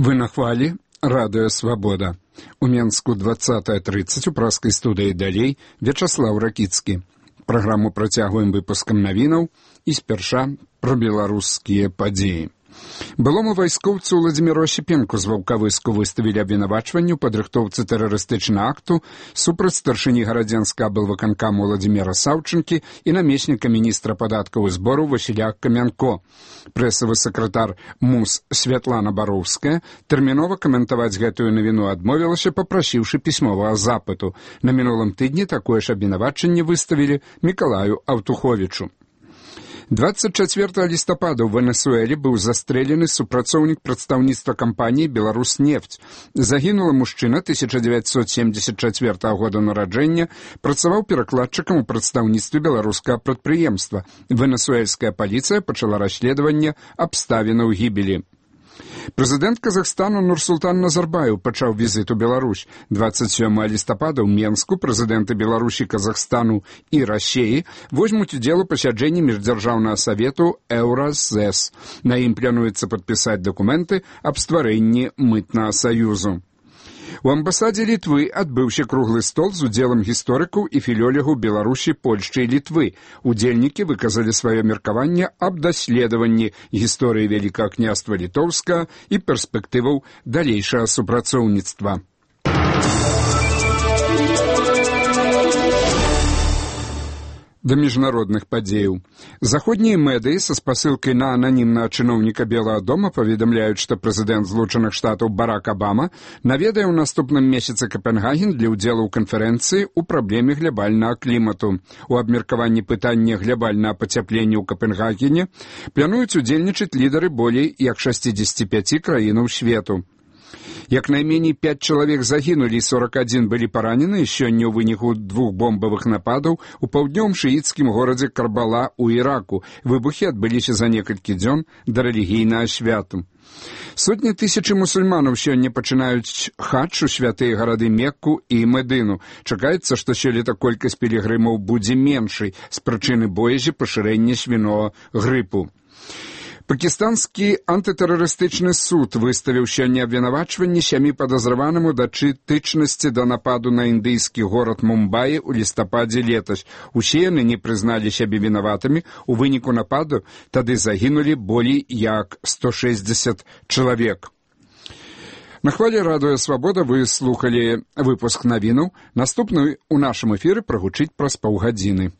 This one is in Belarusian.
Вы на хвалі радыё «Свабода». У Менску 20:30 у праскай студыі далей Вячаслаў Ракіцкі. Праграму працягваем выпускам навінаў і спярша пра беларускія падзеі. Былому вайскоўцу Владзіміру Осіпенку з Ваўкавыску выставілі абвінавачванне ў падрыхтоўцы тэрарыстычнага акту супраць старшыні гарадзенскага аблвыканкаму Владзіміра Саўчынкі і намесніка міністра падаткаў і збору Васіля Камянко. Прэсавы сакратар МУС Святлана Бароўская тэрмінова каментаваць гэтую навіну адмовілася, папрасіўшы пісьмовага запыту. На мінулым тыдні такое ж абвінавачанне выставілі Мікалаю Аўтуховічу. 24 лістапада ў Венесуэле быў застрэлены супрацоўнік прадстаўніцтва кампаніі «Беларуснефть». Загінулы мужчына 1974 года нараджэння, працаваў перакладчыкам у прадстаўніцтве беларускага прадпрыемства. Венесуэльская паліцыя пачала расследаванне абставінаў гібелі. Прэзідэнт Казахстану Нурсултан Назарбаев пачаў візіт у Беларусь. 27 лістапада ў Менску прэзідэнты Беларусі, Казахстану і Расіі возьмуць удзел у пасяджэнні міждзяржаўнага савету «Еўразэс». На ім плануецца падпісаць дакументы аб стварэнні мытнага саюзу. У амбасадзе Літвы адбыўся круглы стол з удзелам гісторыкаў і філёлегаў Беларусі, Польшчы і Літвы. Удзельнікі выказалі сваё меркаванне аб даследаванні гісторыі Вялікага княства Літоўскага і перспектываў далейшага супрацоўніцтва. Да міжнародных падзеяў. Заходнія медыі са спасылкай на ананімнага чыноўніка Белага дома паведамляюць, што прэзідэнт Злучаных Штатаў Барак Абама наведае ў наступным месяцы Капенгаген для ўдзелу ў канферэнцыі ў праблеме глябальнага клімату. У абмеркаванні пытання глябальнага пацяплення ў Капенгагене плануюць удзельнічаць лідары болей як 65 краінаў свету. Як найменей 5 чалавек загінулі і 41 былі паранены сёння ў выніку 2 бомбавых нападаў у паўднёвым шыіцкім горадзе Карбала ў Іраку. Выбухі адбыліся за некалькі дзён да рэлігійнага святу. Сотні тысячы мусульманаў сёння пачынаюць хадж у святыя гарады Мекку і Медыну. Чакаецца, што сёлета колькасць пілігрымаў будзе меншай з прычыны боязі пашырэння свінога грыпу. Пакістанскі антытэрарыстычны суд выставіў сёння абвінавачванне 7 падазраванаму датычнасці да нападу на індыйскі горад Мумбаі ў лістападзе летась. Усе яны не прызналі сябе вінаватымі. У выніку нападу тады загінулі болей як 160 чалавек. На хвалі радыё «Свабода» вы слухалі выпуск навінаў. Наступны ў нашым эфіры прагучыць праз паўгадзіны.